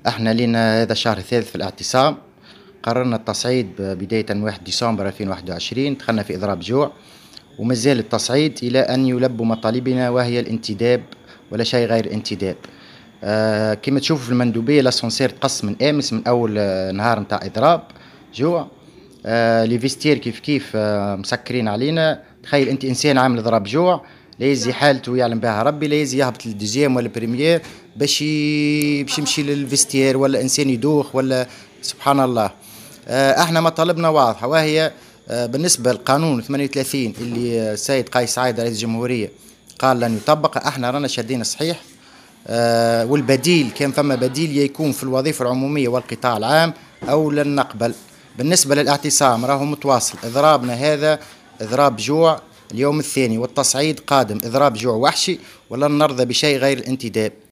احنا لينا هذا الشهر الثالث في الاعتصام. قررنا التصعيد بداية 1 ديسمبر 2021، دخلنا في إضراب جوع ومازال التصعيد إلى أن يلبوا مطالبنا، وهي الانتداب ولا شيء غير الانتداب. كما تشوفوا في المندوبية، l'ascenseur تقص من أمس، من أول نهار نتاع إضراب جوع. Les vestiaires كيف كيف مسكرين علينا. تخيل أنت إنسان عامل إضراب جوع، لا يزي حالته يعلم بها ربي، لا يزي يهبط لل deuxième ولا première باش يمشي لل vestiaire، ولا انسان يدوخ ولا سبحان الله. احنا مطالبنا واضحه، وهي بالنسبة للقانون 38 اللي السيد قيس سعيد رئيس الجمهورية قال لن يطبق، احنا رانا شادين صحيح. والبديل كان فما بديل يكون في الوظيفة العمومية والقطاع العام او لن نقبل. بالنسبة للاعتصام راهو متواصل، اضرابنا هذا اضراب جوع اليوم الثاني، والتصعيد قادم، إضراب جوع وحشي، ولن نرضى بشيء غير الانتداب.